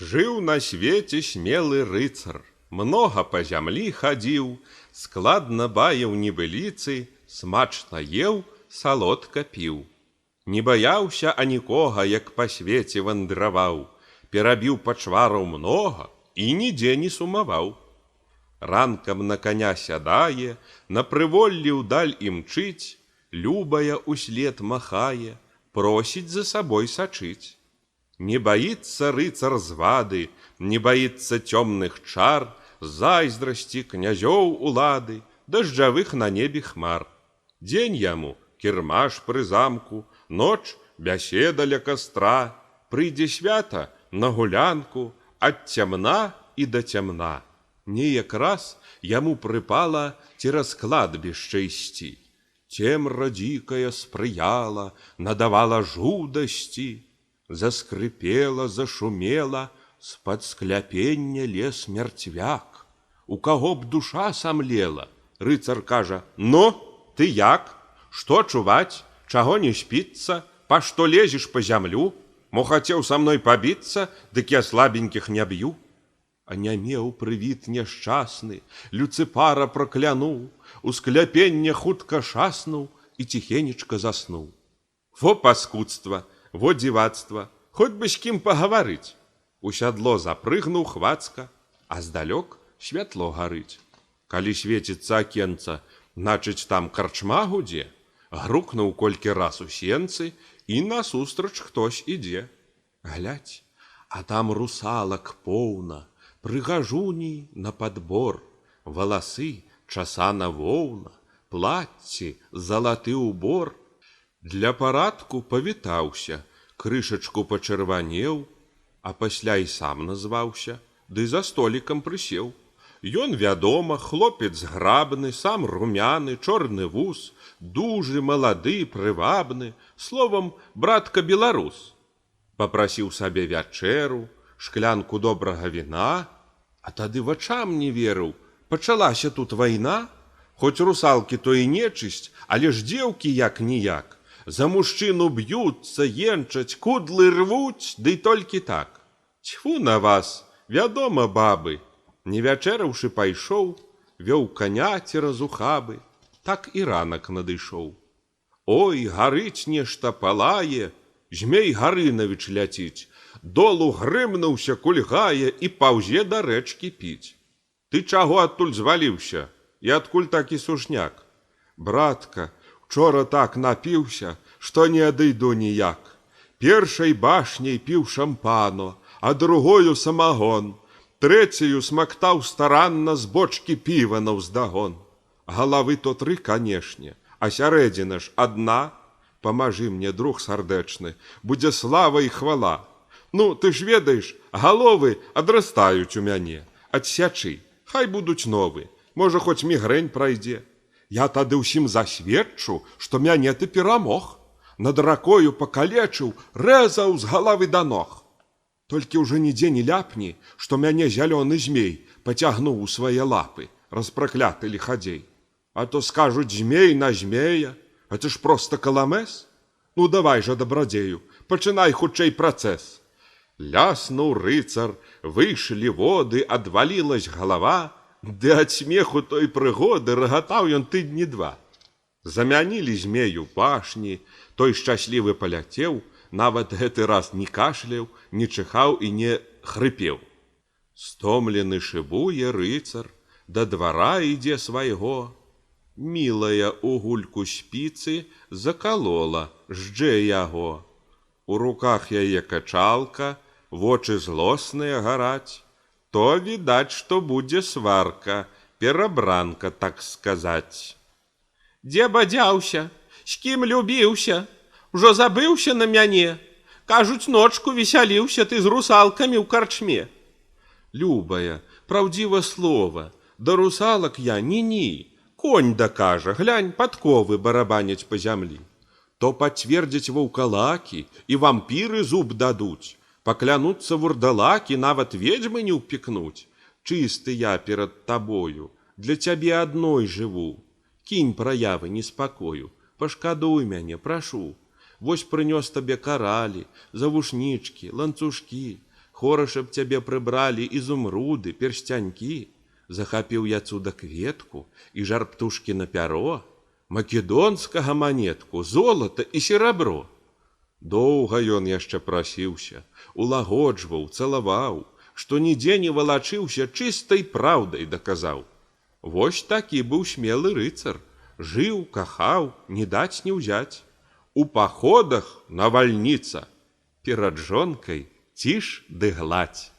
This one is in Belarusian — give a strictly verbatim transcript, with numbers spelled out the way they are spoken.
Жыў на свеце смелы рыцар, многа па зямлі хадзіў, складна баяў небыліцы, смачна еў, салодка піў. Не баяўся анікога, як па свеце вандраваў, перабіў пачвараў многа і нідзе не сумаваў. Ранкам на коня сядае, на прыволлі ўдаль імчыць, любая услед махае, просіць за сабой сачыць. Не баится рыцар звады, не баится цёмных чар, зайздрасці князёў улады, дажджавых на небе хмар. Дзень яму кірмаш пры замку, ноч бяседа ля кастра, прыйдзе свята на гулянку, ад цямна і да цямна. Неяк раз яму прыпала цераз кладбішча ісці. Цемра дзікая спрыяла, надавала жудасці. Заскрыпела, зашумела, з-пад скляпення лез мярцвяк. У каго б душа самлела? Рыцар кажа: «Ну, ты як? Што чуваць? Чаго не спіцца? Па што лезеш па зямлю? Мо хацеў са мной пабіцца, дык я слабенькіх не б'ю». Анямеў прывід няшчасны, Люцыпара праклянуў, у скляпення хутка шаснуў і ціхенечка заснуў. Во паскудства, во дзівацтва, хоць бы з кім пагаварыць. У сядло запрыгнуў хвацка, а здалёк святло гарыць. Калі свеціцца акенца, значыць там карчма гудзе. Грукнуў колькі раз у сенцы, і насустрач хтось ідзе. Глядь, а там русалак поўна, прыгажуні на падбор, валасы часана воўна, плацці залаты ўбор. Для парадку павітаўся, крышачку пачырванеў, а пасля і сам назваўся, ды за столікам прысеў. Ён, вядома, хлопец грабны, сам румяны, чорны вус, дужы, малады, прывабны, словам, братка-беларус. Папрасіў сабе вячэру, шклянку добрага віна, а тады вачам не верыў, пачалася тут вайна. Хоць русалкі то і нечысць, але ж дзеўкі як-ніяк. За мужчыну б'юцца, енчаць, кудлы рвуць, дый толькі так. Цьфу на вас, вядома, бабы. Не вячэраўшы пайшоў, вёў каня цераз ухабы. Так і ранак надышоў. Ой, гарыць нешта палае, Змей Гарынавіч ляціць, долу грымнуўся, кульгае і паўзе да рэчкі піць. Ты чаго адтуль зваліўся? І адкуль такі сушняк? Братка, учора так напіўся, што не адыйду ніяк. Першай башняй піў шампано, а другою самагон. Трэцяю смактаў старанна з бочкі піва наўздагон. Галавы то тры, канешне, а сярэдзіна ж адна. Памажы мне, друг сардэчны, будзе слава і хвала. Ну, ты ж ведаеш, галовы адрастаюць у мяне. Адсячы, хай будуць новы, можа, хоць мігрэнь прайдзе. Я тады ўсім засведчу, што мяне ты перамог. Над ракою пакалечыў, рэзаў з галавы да ног. Толькі ўжо нідзе не ляпні, што мяне зялёны змей пацягнуў у свае лапы, распракляты ліхадзей. А то скажуць змей на змея, а ты ж проста каламэс. Ну, давай жа, дабрадзею, пачынай хутчэй працэс. Ляснуў рыцар, выйшлі воды, адвалілась галава, ды ад смеху той прыгоды рагатаў ён тыдні два. Замянілі змею пашні, той шчаслівы паляцеў, нават гэты раз не кашляў, не чыхаў і не хрыпеў. Стомлены шыбуе рыцар, да двара ідзе свайго. Мілая у гульку спіцы закалола, ждзе яго. У руках яе качалка, вочы злосныя гараць. То відаць, што будзе сварка, перабранка, так сказаць. Дзе бадзяўся? З кім любіўся? Ужо забыўся на мяне? Кажуць, ночку весяліўся ты з русалкамі ў карчме. Любая, праўдзіва слова, да русалак я ні-ні. Конь дакажа, глянь, падковы барабаняць па зямлі. То пацвердзяць ваўкалакі, і вампіры зуб дадуць. Паклянуцца вурдалакі, нават ведзьмы не ўпікнуць. Чысты я перад табою, для цябе адной жыву. Кінь праявы неспакою, пашкадуй мяне, прашу. Вось прынёс табе каралі, завушнічкі, ланцужкі. Хораша б цябе прыбралі ізумруды, персцянькі. Захапіў я цуда кветку і жар птушкі на пяро, македонскага манетку, золата і серабро. Доўга ён яшчэ прасіўся, улагоджваў, цалаваў, што нідзе не валачыўся, чыстай праўдай даказаў. Вось такі быў смелы рыцар, жыў, кахаў, не даць не ўзяць. У паходах навальніца, перад жонкай ціш ды гладзь.